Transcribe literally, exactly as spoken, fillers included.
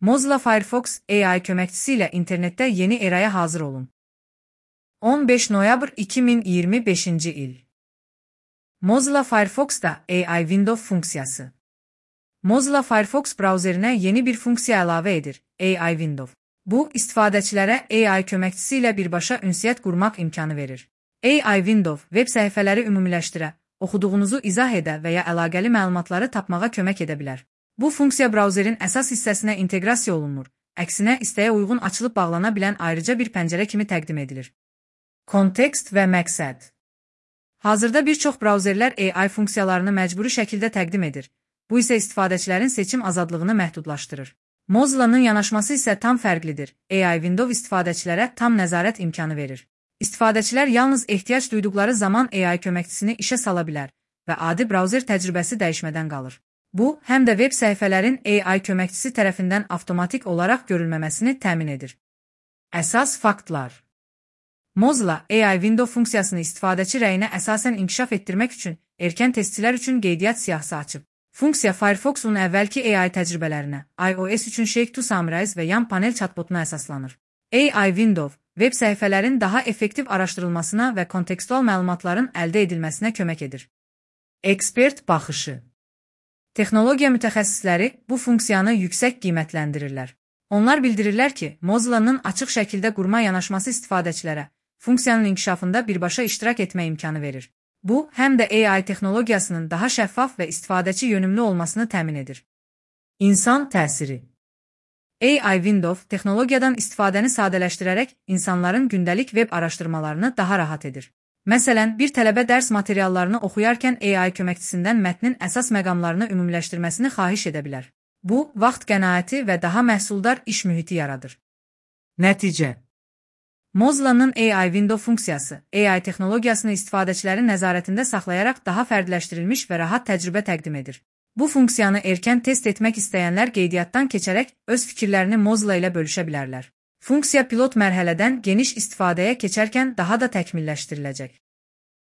Mozilla Firefox A I köməkçisi ilə internetdə yeni eraya hazır olun. on beş noyabr iki min iyirmi beşinci il. Mozilla Firefox'da A I Window funksiyası. Mozilla Firefox brauzerinə yeni bir funksiya əlavə edir, A I Window. Bu, istifadəçilərə A I köməkçisi ilə birbaşa ünsiyyət qurmaq imkanı verir. A I Window web səhifələri ümumiləşdirə, oxuduğunuzu izah edə və ya əlaqəli məlumatları tapmağa kömək edə bilər. Bu funksiya brauzerin əsas hissəsinə inteqrasiya olunmur, əksinə istəyə uyğun açılıb bağlana bilən ayrıca bir pəncərə kimi təqdim edilir. Kontekst və məqsəd. Hazırda bir çox brauzerlər A I funksiyalarını məcburi şəkildə təqdim edir. Bu isə istifadəçilərin seçim azadlığını məhdudlaşdırır. Mozilla'nın yanaşması isə tam fərqlidir. A I Window istifadəçilərə tam nəzarət imkanı verir. İstifadəçilər yalnız ehtiyac duyduqları zaman A I köməkçisini işə sala bilər və adi brauzer təcrübəsi dəyişmədən qalır. Bu, həm də web səhifələrin A I köməkçisi tərəfindən avtomatik olaraq görülməməsini təmin edir. Əsas faktlar. Mozilla A I Window funksiyasını istifadəçi rəyinə əsasən inkişaf etdirmək üçün erkən testçilər üçün qeydiyyat siyahısı açıb. Funksiya Firefox'un əvvəlki A I təcrübələrinə, iOS üçün Shake to Summarize və yan panel chatbotuna əsaslanır. A I Window, web səhifələrin daha effektiv araşdırılmasına və kontekstual məlumatların əldə edilməsinə kömək edir. Ekspert baxışı. Texnologiya mütəxəssisləri bu funksiyanı yüksək qiymətləndirirlər. Onlar bildirirlər ki, Mozilla'nın açıq şəkildə qurma yanaşması istifadəçilərə funksiyanın inkişafında birbaşa iştirak etmə imkanı verir. Bu, həm də A I texnologiyasının daha şəffaf və istifadəçi yönümlü olmasını təmin edir. İnsan təsiri. A I Window texnologiyadan istifadəni sadələşdirərək insanların gündəlik web araşdırmalarını daha rahat edir. Məsələn, bir tələbə dərs materiallarını oxuyarkən A I köməkçisindən mətnin əsas məqamlarını ümumiləşdirməsini xahiş edə bilər. Bu, vaxt qənaəti və daha məhsuldar iş mühiti yaradır. Nəticə. Mozilla'nın A I Window funksiyası, A I texnologiyasını istifadəçilərin nəzarətində saxlayaraq daha fərdləşdirilmiş və rahat təcrübə təqdim edir. Bu funksiyanı erkən test etmək istəyənlər qeydiyyatdan keçərək öz fikirlərini Mozilla ilə bölüşə bilərlər. Funksiya pilot mərhələdən geniş istifadəyə keçərkən daha da təkmilləşdiriləcək.